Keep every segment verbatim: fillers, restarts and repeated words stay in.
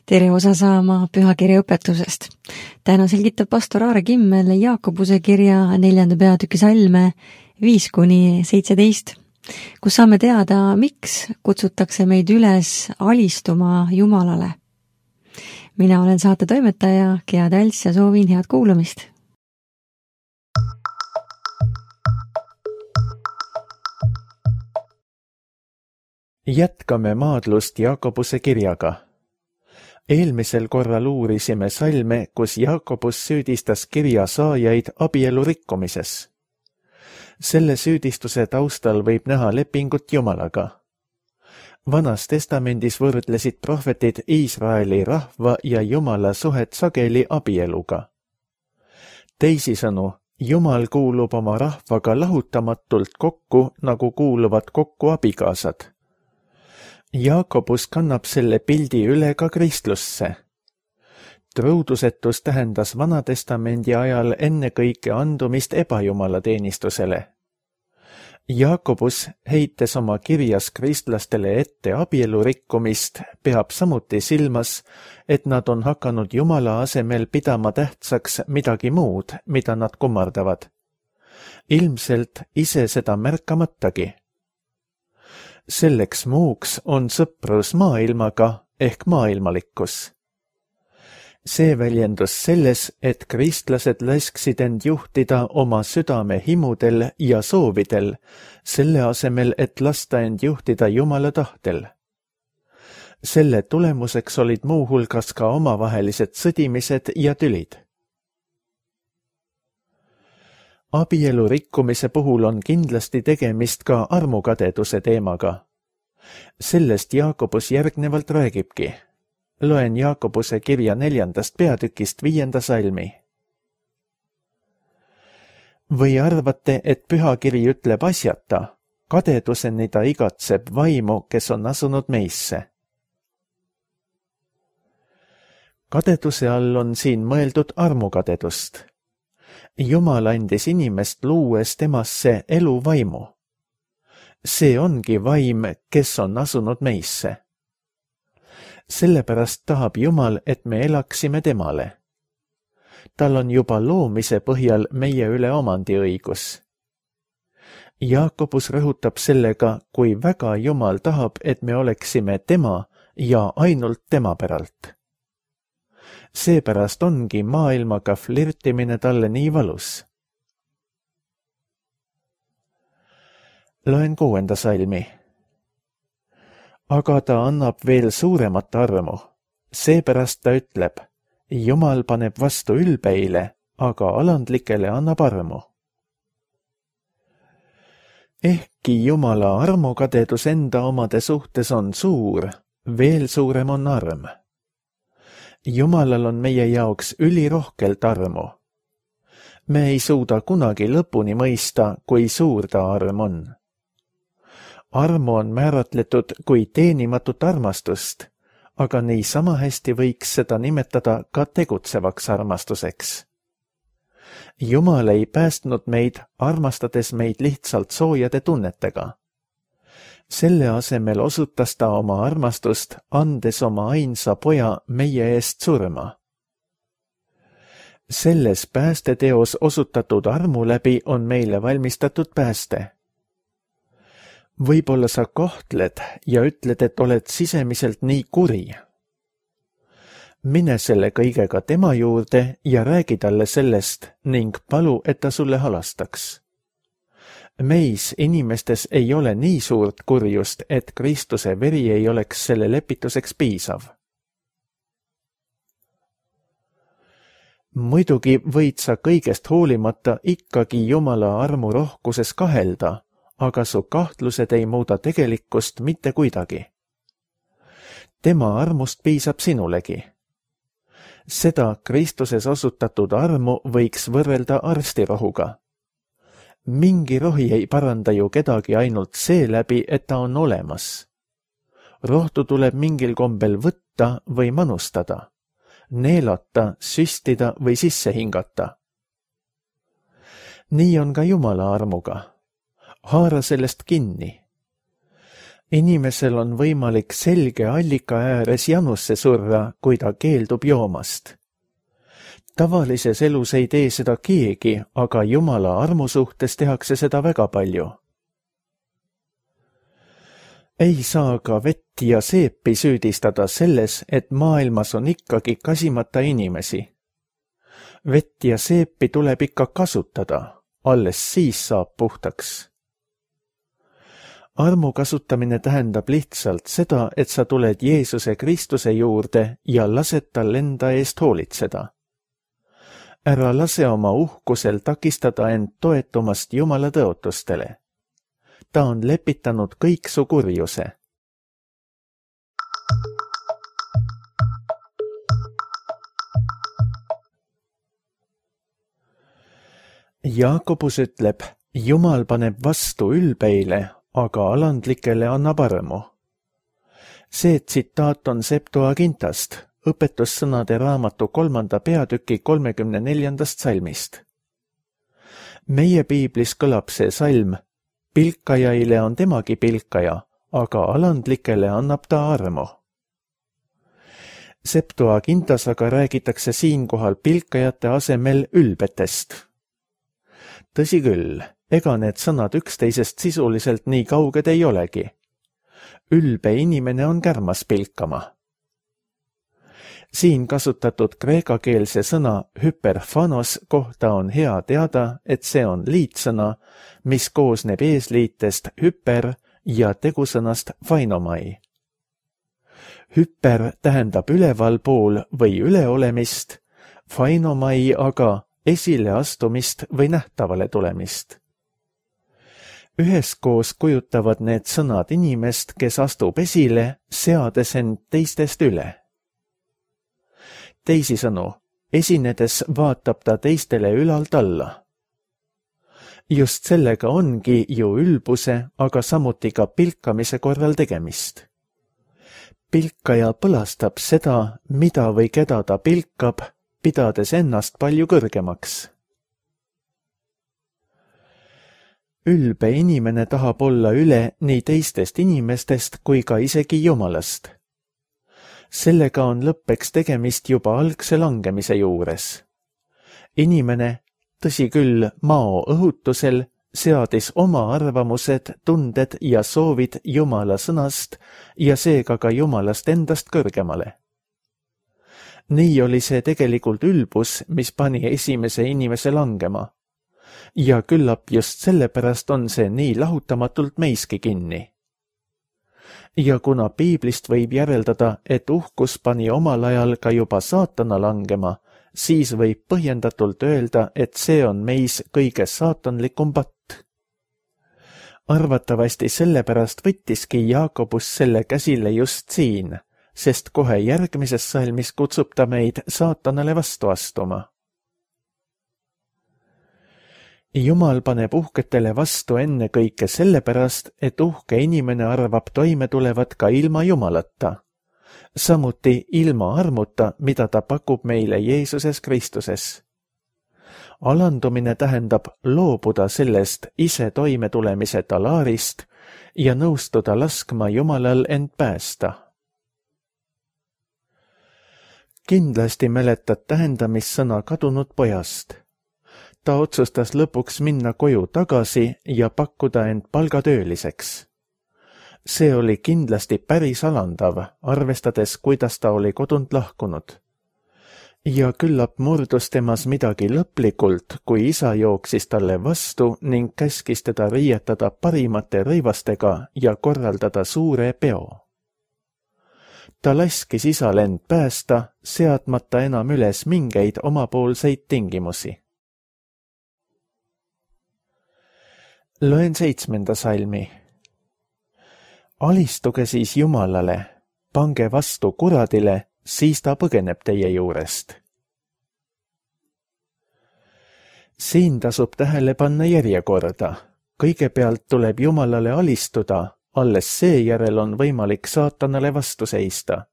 Tere osa saama pühakirja õpetusest. Täna selgitab pastor Aare Kimmel Jaakobuse kirja neljanda peatüki salme viis kuni seitseteist, kus saame teada, miks kutsutakse meid üles alistuma Jumalale. Mina olen saate toimetaja Gea Täls ja soovin head kuulamist. Jätkame maadlust Jaakobuse kirjaga. Eelmisel korral uurisime salme, kus Jaakobus süüdistas kirja saajaid abielu rikkumises. Selle süüdistuse taustal võib näha lepingut Jumalaga. Vanas testamendis võrdlesid prohvetid Iisraeli rahva ja Jumala suhet sageli abieluga. Teisisõnu, Jumal kuulub oma rahvaga lahutamatult kokku, nagu kuuluvad kokku abikaasad. Jaakobus kannab selle pildi üle ka kristlusse. Truudusetus tähendas Vanatestamendi ajal ennekõike andumist ebajumala teenistusele. Jaakobus, heites oma kirjas kristlastele ette abielu rikkumist, peab samuti silmas, et nad on hakanud Jumala asemel pidama tähtsaks midagi muud, mida nad kummardavad. Ilmselt ise seda märkamatagi. Selleks muuks on sõprus maailmaga ehk maailmalikkus. See väljendus selles, et kristlased lasksid end juhtida oma südame himudel ja soovidel, selle asemel, et lasta end juhtida Jumala tahtel. Selle tulemuseks olid muuhulgas ka omavahelised sõdimised ja tülid. Abielu rikkumise puhul on kindlasti tegemist ka armukadeduse teemaga. Sellest Jaakobus järgnevalt räägibki. Loen Jaakobuse kirja neljandast peatükist viienda salmi. Või arvate, et pühakiri ütleb asjata, kadeduseni ta igatseb vaimu, kes on asunud meisse. Kadeduse all on siin mõeldud armukadedust. Jumal andis inimest luues temasse eluvaimu. See ongi vaim, kes on asunud meisse. Sellepärast tahab Jumal, et me elaksime temale. Tal on juba loomise põhjal meie üle omandiõigus. Jaakobus rõhutab sellega, kui väga Jumal tahab, et me oleksime tema ja ainult tema päralt. Seepärast ongi maailmaga flirtimine talle nii valus. Loen kuuenda salmi. Aga ta annab veel suuremat armu. Seepärast ta ütleb, Jumal paneb vastu ülbeile, aga alandlikele annab armu. Ehkki Jumala armukadedus enda omade suhtes on suur, veel suurem on arm. Jumalal on meie jaoks ülirohkelt armu. Me ei suuda kunagi lõpuni mõista, kui suur ta arm on. Armu on määratletud kui teenimatut armastust, aga nii sama hästi võiks seda nimetada ka tegutsevaks armastuseks. Jumal ei päästnud meid, armastades meid lihtsalt soojade tunnetega. Selle asemel osutas ta oma armastust, andes oma ainsa poja meie eest surma. Selles päästeteos osutatud armu läbi on meile valmistatud pääste. Võib-olla sa kahtled ja ütled, et oled sisemiselt nii kuri. Mine selle kõigega tema juurde ja räägi talle sellest ning palu, et ta sulle halastaks. Meis inimestes ei ole nii suurt kurjust, et Kristuse veri ei oleks selle lepituseks piisav. Muidugi võid sa kõigest hoolimata ikkagi Jumala armu rohkuses kahelda, aga su kahtlused ei muuda tegelikkust mitte kuidagi. Tema armust piisab sinulegi. Seda Kristuses osutatud armu võiks võrrelda arstirohuga. Mingi rohi ei paranda ju kedagi ainult seeläbi, et ta on olemas. Rohtu tuleb mingil kombel võtta või manustada, neelata, süstida või sisse hingata. Nii on ka Jumala armuga. Haara sellest kinni. inimesel on võimalik selge allika ääres janusse surra, kui ta keeldub joomast. Tavalises elus ei tee seda keegi, aga Jumala armu suhtes tehakse seda väga palju. Ei saa ka vett ja seepi süüdistada selles, et maailmas on ikkagi kasimata inimesi. Vett ja seepi tuleb ikka kasutada, alles siis saab puhtaks. Armu kasutamine tähendab lihtsalt seda, et sa tuled Jeesuse Kristuse juurde ja lased tal enda eest hoolitseda. Ära lase oma uhkusel takistada end toetumast Jumala tõotustele. Ta on lepitanud kõik su kurjuse. Jaakobus ütleb, Jumal paneb vastu ülbeile, aga alandlikele annab armu. See tsitaat on Septuagintast, õpetussõnade raamatu kolmanda peatüki kolmekümne neljandast salmist. Meie piiblis kõlab see salm, pilkajaile on temagi pilkaja, aga alandlikele annab ta armu. Septuagintas aga räägitakse siinkohal pilkajate asemel ülbetest. Tõsi küll, ega need sõnad üksteisest sisuliselt nii kauged ei olegi. Ülbe inimene on kärmas pilkama. Siin kasutatud kreekakeelse sõna hyperfanos kohta on hea teada, et see on liitsõna, mis koosneb eesliitest hyper ja tegusõnast phainomai. Hyper tähendab ülevalpool või üleolemist, phainomai aga esileastumist või nähtavale tulemist. Üheskoos kujutavad need sõnad inimest, kes astub esile, seades end teistest üle. Teisisõnu, esinedes vaatab ta teistele ülalt alla. Just sellega ongi ju ülbuse, aga samuti ka pilkamise korral tegemist. Pilkaja põlastab seda, mida või keda ta pilkab, pidades ennast palju kõrgemaks. Ülbe inimene tahab olla üle nii teistest inimestest kui ka isegi Jumalast. Sellega on lõppeks tegemist juba algse langemise juures. Inimene, tõsi küll mao õhutusel, seadis oma arvamused, tunded ja soovid Jumala sõnast ja seega ka Jumalast endast kõrgemale. Nii oli see tegelikult ülbus, mis pani esimese inimese langema. Ja küllap just sellepärast on see nii lahutamatult meiski kinni. Ja kuna piiblist võib järeldada, et uhkus pani omal ajal ka juba saatana langema, siis võib põhjendatult öelda, et see on meis kõige saatanlikum patt. Arvatavasti sellepärast võttiski Jaakobus selle käsile just siin, sest kohe järgmises salmis kutsub ta meid saatanale vastu astuma. Jumal paneb uhketele vastu enne kõike sellepärast, et uhke inimene arvab toime tulevat ka ilma Jumalata, samuti ilma armuta, mida ta pakub meile Jeesuses Kristuses. Alandumine tähendab loobuda sellest ise toime tulemise talaarist ja nõustuda laskma Jumalal end päästa. Kindlasti mäletad tähendamissõna kadunud pojast. Ta otsustas lõpuks minna koju tagasi ja pakkuda end palgatööliseks. See oli kindlasti päris alandav, arvestades, kuidas ta oli kodunt lahkunud. Ja küllap murdus temas midagi lõplikult, kui isa jooksis talle vastu ning käskis teda riietada parimate rõivastega ja korraldada suure peo. Ta laskis isal end päästa, seadmata enam üles mingeid omapoolseid tingimusi. Loen seitsmenda salmi. Alistuge siis Jumalale, pange vastu kuradile, siis ta põgeneb teie juurest. Siin tasub tähele panna järjekorda. Kõigepealt tuleb Jumalale alistuda, alles seejärel on võimalik saatanale vastu seista.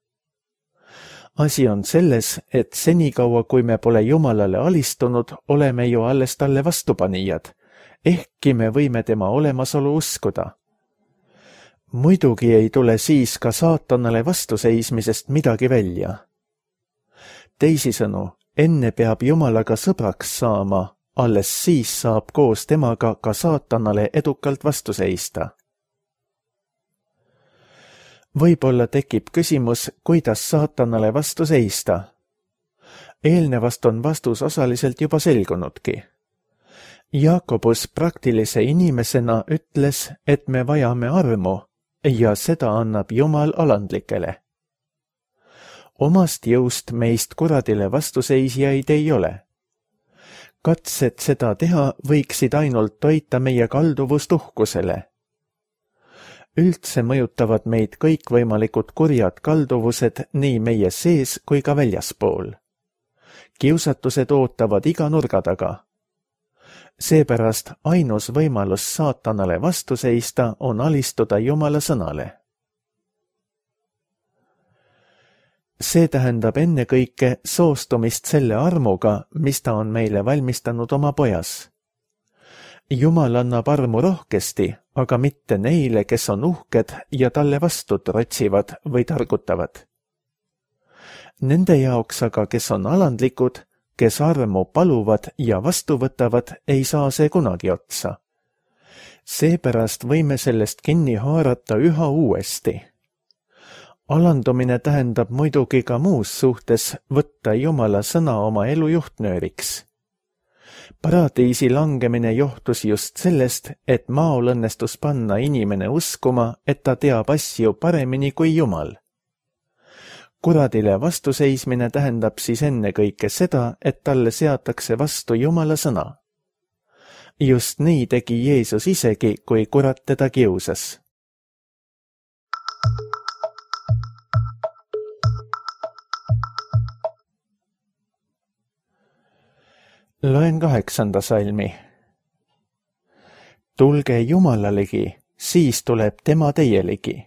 Asi on selles, et senikaua, kui me pole Jumalale alistunud, oleme ju alles talle vastupanijad, ehkki me võime tema olemasolu uskuda. muidugi ei tule siis ka saatanale vastuseismisest midagi välja. Teisisõnu, enne peab Jumalaga sõbraks saama, alles siis saab koos temaga ka saatanale edukalt vastu seista. Võib-olla tekib küsimus, kuidas saatanale vastu seista. Eelnevast on vastus osaliselt juba selgunudki. Jaakobus praktilise inimesena ütles, et me vajame armu ja seda annab Jumal alandlikele. Omast jõust meist kuradile vastuseisjaid ei ole. Katsed seda teha võiksid ainult toita meie kalduvust uhkusele. Üldse mõjutavad meid kõikvõimalikud kurjad kalduvused nii meie sees kui ka väljaspool. Kiusatused ootavad iga nurga taga. Seepärast ainus võimalus saatanale vastu seista on alistuda Jumala sõnale. See tähendab ennekõike soostumist selle armuga, mis ta on meile valmistanud oma pojas. Jumal annab armu rohkesti, aga mitte neile, kes on uhked ja talle vastu trotsivad või targutavad. Nende jaoks aga, kes on alandlikud, kes armu paluvad ja vastu võtavad, ei saa see kunagi otsa. Seepärast võime sellest kinni haarata üha uuesti. Alandumine tähendab muidugi ka muus suhtes võtta Jumala sõna oma elu juhtnööriks. Paradiisi langemine johtus just sellest, et maal õnnestus panna inimene uskuma, et ta teab asju paremini kui Jumal. Kuradile vastuseismine tähendab siis ennekõike seda, et talle seatakse vastu Jumala sõna. Just nii tegi Jeesus isegi, kui kurat teda kiusas. Loen kaheksanda salmi. Tulge Jumala ligi, siis tuleb tema teie ligi.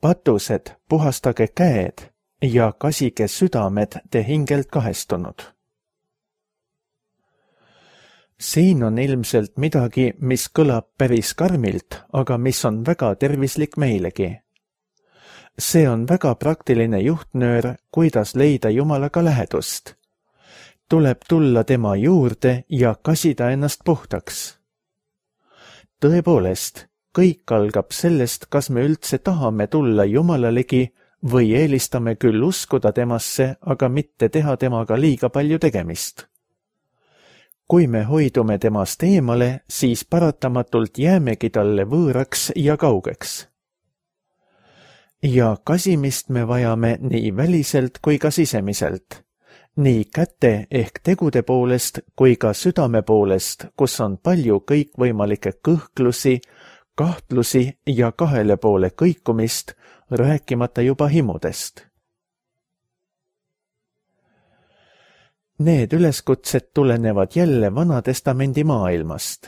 Patused, puhastage käed ja kasige südamed te hingelt kahestunud. Siin on ilmselt midagi, mis kõlab päris karmilt, aga mis on väga tervislik meilegi. See on väga praktiline juhtnöör, kuidas leida Jumalaga lähedust. Tuleb tulla tema juurde ja kasida ennast puhtaks. Tõepoolest, kõik algab sellest, kas me üldse tahame tulla Jumala ligi või eelistame küll uskuda temasse, aga mitte teha temaga liiga palju tegemist. Kui me hoidume temast eemale, siis paratamatult jäämegi talle võõraks ja kaugeks. Ja kasimist me vajame nii väliselt kui ka sisemiselt. Nii käte ehk tegude poolest kui ka südame poolest, kus on palju kõikvõimalikke kõhklusi, kahtlusi ja kahele poole kõikumist, rääkimata juba himudest. Need üleskutsed tulenevad jälle Vana-testamendi maailmast.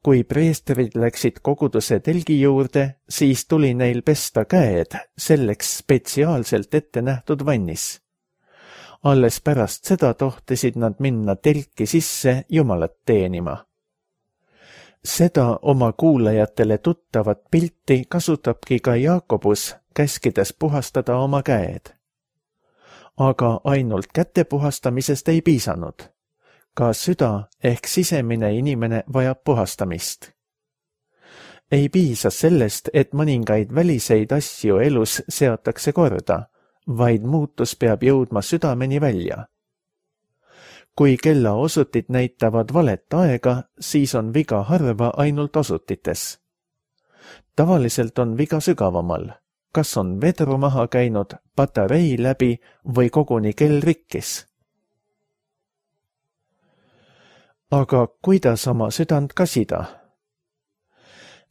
Kui preestrid läksid koguduse telgi juurde, siis tuli neil pesta käed selleks spetsiaalselt ette nähtud vannis. Alles pärast seda tohtisid nad minna telki sisse Jumalat teenima. Seda oma kuulajatele tuttavat pilti kasutabki ka Jaakobus, käskides puhastada oma käed. Aga ainult käte puhastamisest ei piisanud. Ka süda ehk sisemine inimene vajab puhastamist. Ei piisa sellest, et mõningaid väliseid asju elus seatakse korda, vaid muutus peab jõudma südameni välja. Kui kella osutid näitavad valet aega, siis on viga harva ainult osutites. Tavaliselt on viga sügavamal, kas on vedru maha käinud, patarei läbi või koguni kell rikkis. Aga kuidas oma südant kasida?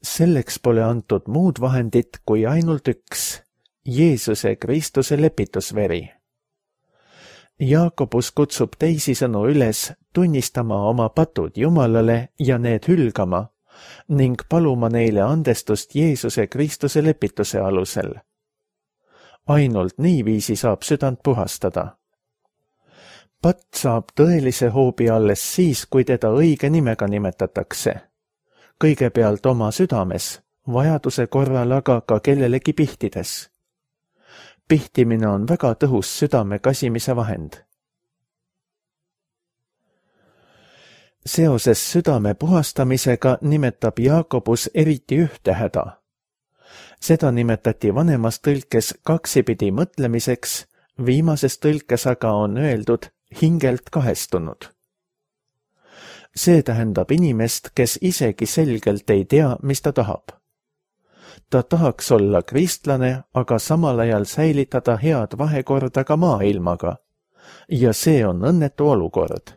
Selleks pole antud muud vahendit kui ainult üks, Jeesuse Kristuse lepitusveri. Jaakobus kutsub teisisõnu üles tunnistama oma patud Jumalale ja need hülgama ning paluma neile andestust Jeesuse Kristuse lepituse alusel. Ainult niiviisi saab südant puhastada. Patt saab tõelise hoobi alles siis, kui teda õige nimega nimetatakse. Kõigepealt oma südames, vajaduse korral aga ka kellelegi pihtides. Pihtimine on väga tõhus südame kasimise vahend. Seoses südame puhastamisega nimetab Jaakobus eriti ühte häda. Seda nimetati vanemas tõlkes kaksipidi mõtlemiseks, viimases tõlkes aga on öeldud hingelt kahestunud. See tähendab inimest, kes isegi selgelt ei tea, mis ta tahab. Ta tahaks olla kristlane, aga samal ajal säilitada head vahekorda ka maailmaga. Ja see on õnnetu olukord.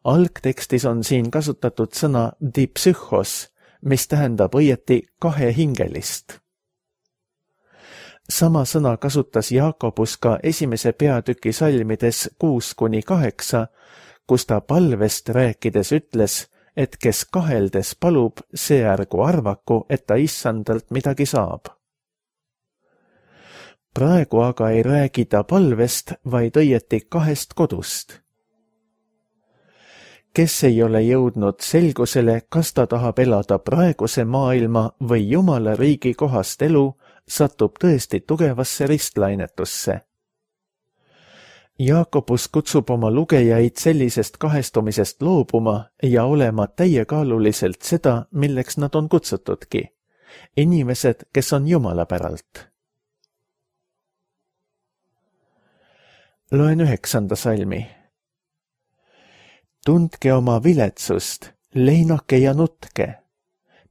Algtekstis on siin kasutatud sõna dipsühhos, mis tähendab õieti kahehingelist. Sama sõna kasutas Jaakobus ka esimese peatüki salmides kuus kuni kaheksa, kus ta palvest rääkides ütles, et kes kaheldes palub, see ärgu arvaku, et ta issandalt midagi saab. Praegu aga ei räägi ta palvest, vaid õieti kahest kodust. Kes ei ole jõudnud selgusele, kas ta tahab elada praeguse maailma või Jumala riigi kohast elu, satub tõesti tugevasse ristlainetusse. Jaakobus kutsub oma lugejaid sellisest kahestumisest loobuma ja olema täiekaaluliselt seda, milleks nad on kutsutudki. Inimesed, kes on Jumala päralt. Loen üheksanda salmi. Tundke oma viletsust, leinake ja nutke.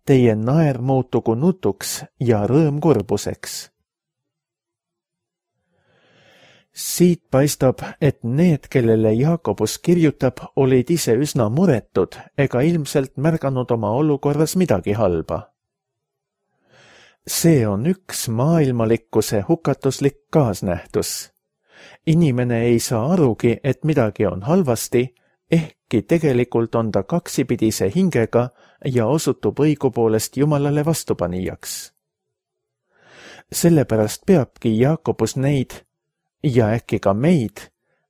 Teie naer muutugu nutuks ja rõõm kurbuseks. Siit paistab, et need, kellele Jaakobus kirjutab, olid ise üsna muretud ega ilmselt märganud oma olukorras midagi halba. See on üks maailmalikkuse hukatuslik kaasnähtus. Inimene ei saa arugi, et midagi on halvasti, ehkki tegelikult on ta kaksipidise hingega ja osutub õigupoolest Jumalale vastupanijaks. Sellepärast peabki Jaakobus neid ja äkki ka meid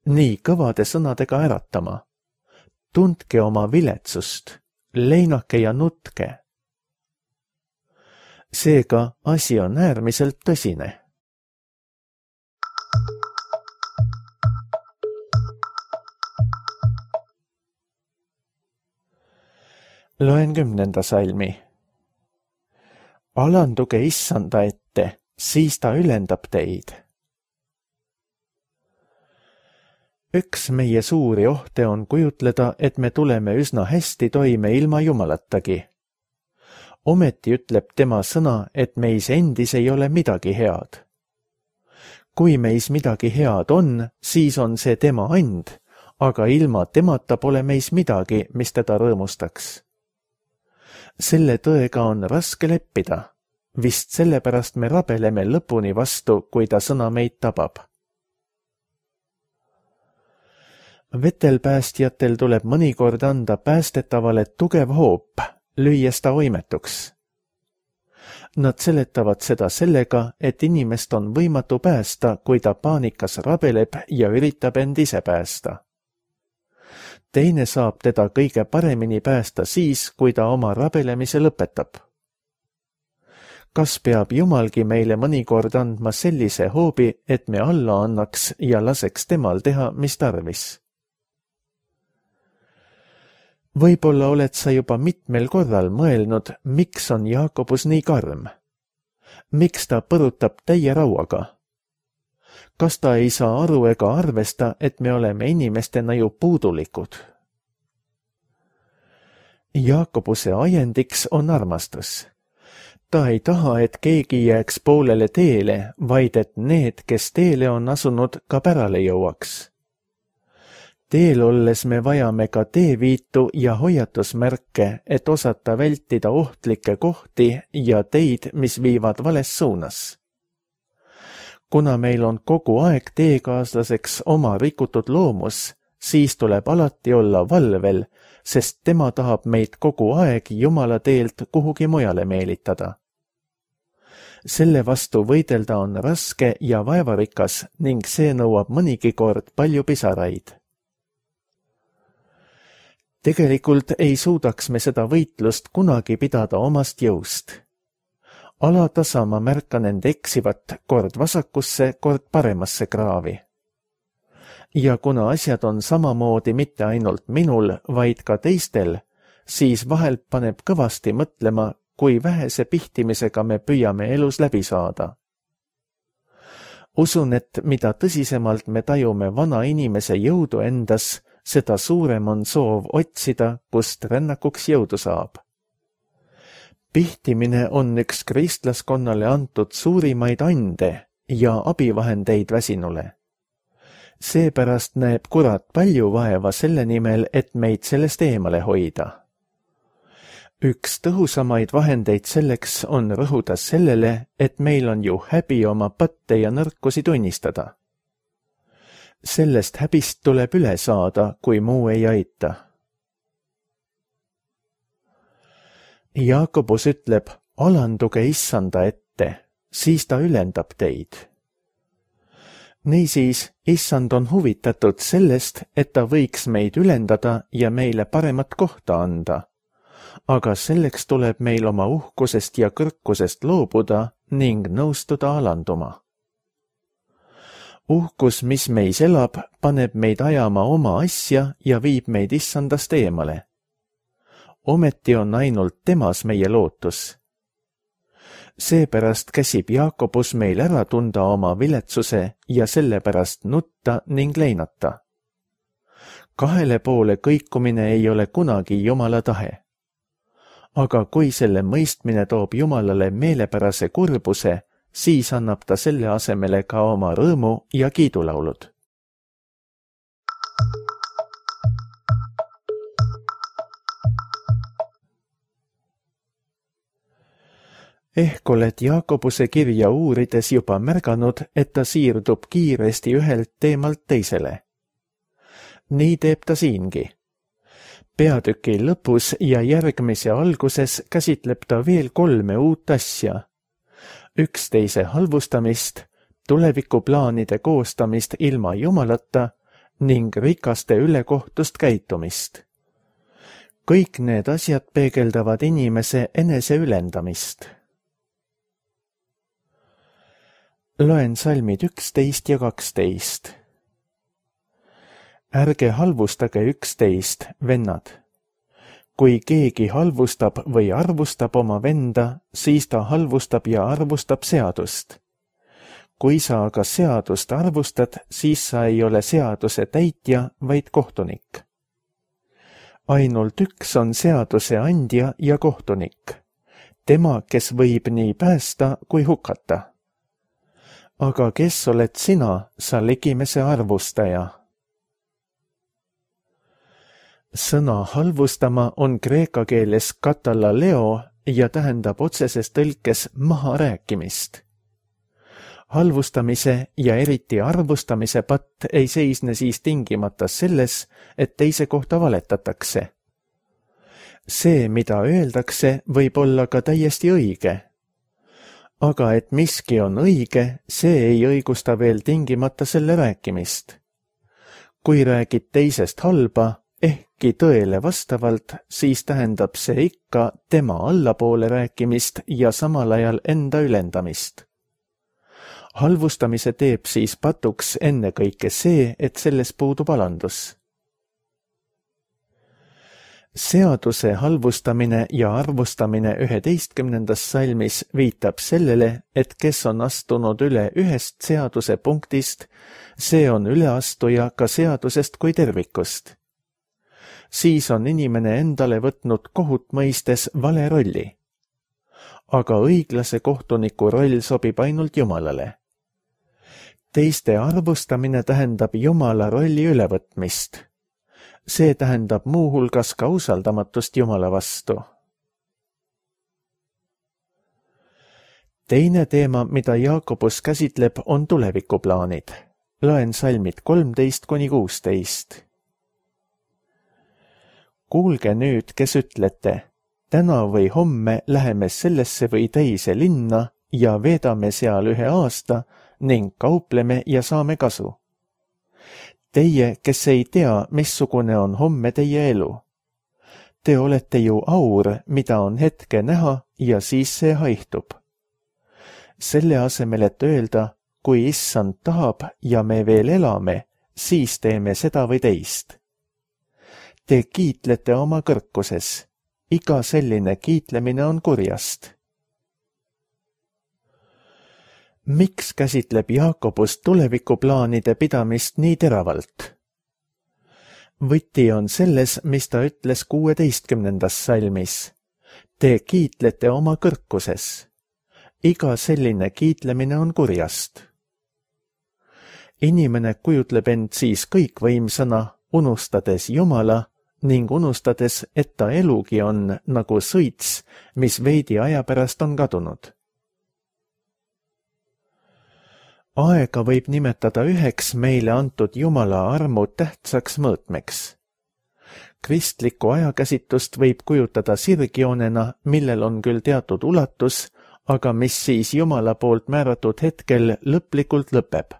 nii kõvade sõnadega äratama. Tundke oma viletsust, leinake ja nutke. Seega asi on äärmiselt tõsine. Loen kümnenda salmi. Alanduge issanda ette, siis ta ülendab teid. Üks meie suuri ohte on kujutleda, et me tuleme üsna hästi toime ilma Jumalatagi. Ometi ütleb tema sõna, et meis endis ei ole midagi head. Kui meis midagi head on, siis on see tema and, aga ilma temata pole meis midagi, mis teda rõõmustaks. Selle tõega on raske leppida. Vist sellepärast me rabeleme lõpuni vastu, kui ta sõna meid tabab. Vetelpäästjatel tuleb mõnikord anda päästetavale tugev hoop, lüües ta oimetuks. Nad seletavad seda sellega, et inimest on võimatu päästa, kui ta paanikas rabeleb ja üritab end ise päästa. Teine saab teda kõige paremini päästa siis, kui ta oma rabelemise lõpetab. Kas peab Jumalgi meile mõnikord andma sellise hoobi, et me alla annaks ja laseks temal teha, mis tarvis? Võib-olla oled sa juba mitmel korral mõelnud, miks on Jaakobus nii karm? Miks ta põrutab täie rauaga? Kas ta ei saa aru ega arvesta, et me oleme inimestena ju puudulikud? Jaakobuse ajendiks on armastus. Ta ei taha, et keegi jääks poolele teele, vaid et need, kes teele on asunud, ka pärale jõuaks. Teel olles me vajame ka teeviitu ja hoiatusmärke, et osata vältida ohtlikke kohti ja teid, mis viivad vales suunas. Kuna meil on kogu aeg teekaaslaseks oma rikutud loomus, siis tuleb alati olla valvel, sest tema tahab meid kogu aeg Jumala teelt kuhugi mujale meelitada. Selle vastu võidelda on raske ja vaevarikas ning see nõuab mõnigi kord palju pisaraid. Tegelikult ei suudaks me seda võitlust kunagi pidada omast jõust. Alatasa ma märkan end eksivat kord vasakusse, kord paremasse kraavi. Ja kuna asjad on samamoodi mitte ainult minul, vaid ka teistel, siis vahel paneb kõvasti mõtlema, kui vähese pihtimisega me püüame elus läbi saada. Usun, et mida tõsisemalt me tajume vana inimese jõudu endas, seda suurem on soov otsida, kust rännakuks jõudu saab. Pihtimine on üks kristlaskonnale antud suurimaid ande ja abivahendeid väsinule. Seepärast näeb kurat palju vaeva selle nimel, et meid sellest eemale hoida. Üks tõhusamaid vahendeid selleks on rõhuda sellele, et meil on ju häbi oma patte ja nõrkusi tunnistada. Sellest häbist tuleb üle saada, kui muu ei aita. Jaakobus ütleb, alanduge issanda ette, siis ta ülendab teid. Niisiis, issand on huvitatud sellest, et ta võiks meid ülendada ja meile paremat kohta anda. Aga selleks tuleb meil oma uhkusest ja kõrkusest loobuda ning nõustuda alanduma. Uhkus, mis meis elab, paneb meid ajama oma asja ja viib meid issandast eemale. Ometi on ainult temas meie lootus. Seepärast käsib Jaakobus meil ära tunda oma viletsuse ja sellepärast nutta ning leinata. Kahele poole kõikumine ei ole kunagi Jumala tahe. Aga kui selle mõistmine toob Jumalale meelepärase kurbuse, siis annab ta selle asemele ka oma rõõmu ja kiidulaulud. Ehk oled Jaakobuse kirja uurides juba märganud, et ta siirdub kiiresti ühelt teemalt teisele. Nii teeb ta siingi. Peatüki lõpus ja järgmise alguses käsitleb ta veel kolme uut asja. Üksteise halvustamist, tulevikuplaanide koostamist ilma Jumalata ning rikaste ülekohtust käitumist. Kõik need asjad peegeldavad inimese enese ülendamist. Loen salmid üksteist ja kaksteist. Ärge halvustage üksteist, vennad. Kui keegi halvustab või arvustab oma venda, siis ta halvustab ja arvustab seadust. Kui sa aga seadust arvustad, siis sa ei ole seaduse täitja, vaid kohtunik. Ainult üks on seaduse andja ja kohtunik. Tema, kes võib nii päästa kui hukata. Aga kes oled sina, sa ligimese arvustaja? Sõna halvustama on kreeka keeles katalaleo ja tähendab otseses tõlkes maha rääkimist. Halvustamise ja eriti arvustamise patt ei seisne siis tingimata selles, et teise kohta valetatakse. See, mida öeldakse, võib olla ka täiesti õige. Aga et miski on õige, see ei õigusta veel tingimata selle rääkimist. Kui räägid teisest halba, ehkki tõele vastavalt, siis tähendab see ikka tema allapoole rääkimist ja samal ajal enda ülendamist. Halvustamise teeb siis patuks ennekõike see, et selles puudub alandus. Seaduse halvustamine ja arvustamine üheteistkümnendas salmis viitab sellele, et kes on astunud üle ühest seaduse punktist, see on üleastuja ka seadusest kui tervikust. Siis on inimene endale võtnud kohut mõistes vale rolli. Aga õiglase kohtuniku roll sobib ainult Jumalale. Teiste arvustamine tähendab Jumala rolli ülevõtmist. See tähendab muuhulgas ka usaldamatust Jumala vastu. Teine teema, mida Jaakobus käsitleb, on tulevikuplaanid. Loen salmid kolmteist kuni kuusteist. Kuulge nüüd, kes ütlete, täna või homme läheme sellesse või teise linna ja veedame seal ühe aasta ning kaupleme ja saame kasu. Teie, kes ei tea, missugune on homme teie elu, Te olete ju aur, mida on hetke näha ja siis see haihtub. Selle asemel, et öelda, kui issand tahab ja me veel elame, siis teeme seda või teist. Te kiitlete oma kõrkuses. Iga selline kiitlemine on kurjast. Miks käsitleb Jaakobus tulevikuplaanide pidamist nii teravalt? Võti on selles, mis ta ütles kuueteistkümnendas salmis. Te kiitlete oma kõrkuses. Iga selline kiitlemine on kurjast. Inimene kujutleb end siis kõikvõimsana, unustades Jumala ning unustades, et ta elugi on nagu sõits, mis veidi aja pärast on kadunud. Aega võib nimetada üheks meile antud Jumala armu tähtsaks mõõtmeks. Kristlikku ajakäsitlust võib kujutada sirgjoonena, millel on küll teatud ulatus, aga mis siis Jumala poolt määratud hetkel lõplikult lõpeb.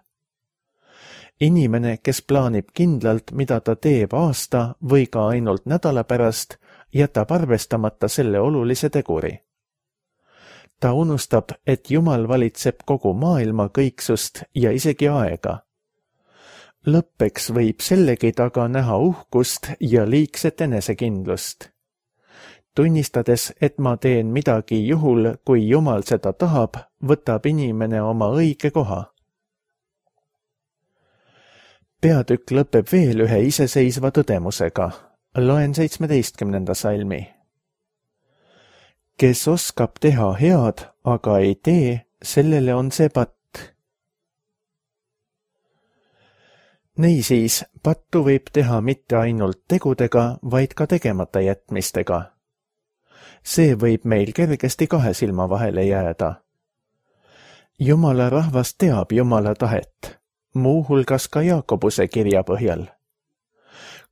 Inimene, kes plaanib kindlalt, mida ta teeb aasta või ka ainult nädala pärast, jätab arvestamata selle olulise teguri. Ta unustab, et Jumal valitseb kogu maailma kõiksust ja isegi aega. Lõppeks võib sellegi taga näha uhkust ja liigset enesekindlust. Tunnistades, et ma teen midagi juhul, kui Jumal seda tahab, võtab inimene oma õige koha. Peatükk lõpeb veel ühe iseseisva tõdemusega. Loen seitsmeteistkümnenda salmi. Kes oskab teha head, aga ei tee, sellele on see patt. Niisiis, pattu võib teha mitte ainult tegudega, vaid ka tegemata jätmistega. See võib meil kergesti kahe silma vahele jääda. Jumala rahvas teab Jumala tahet, muuhulgas ka Jaakobuse kirja põhjal.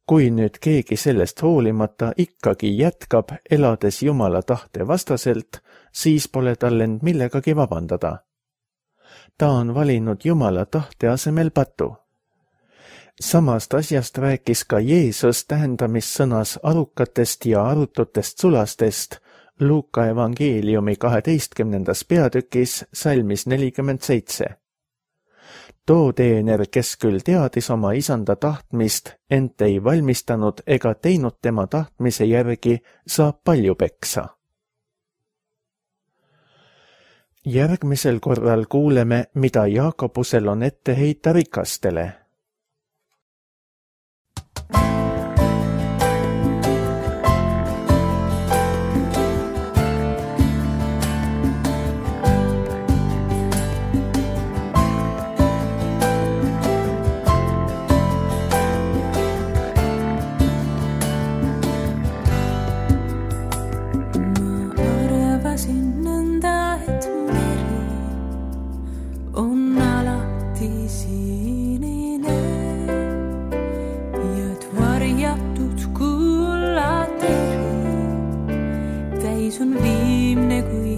Kui nüüd keegi sellest hoolimata ikkagi jätkab, elades Jumala tahte vastaselt, siis pole tal end millegagi vabandada. Ta on valinud Jumala tahte asemel patu. Samast asjast rääkis ka Jeesus tähendamissõnas arukatest ja arututest sulastest Luuka evangeeliumi kaheteistkümnendas peatükis salmis nelikümmend seitse. Too teener, kes küll teadis oma isanda tahtmist, ent ei valmistanud ega teinud tema tahtmise järgi, saab palju peksa. Järgmisel korral kuuleme, mida Jaakobusel on ette heita rikastele. On viimne kui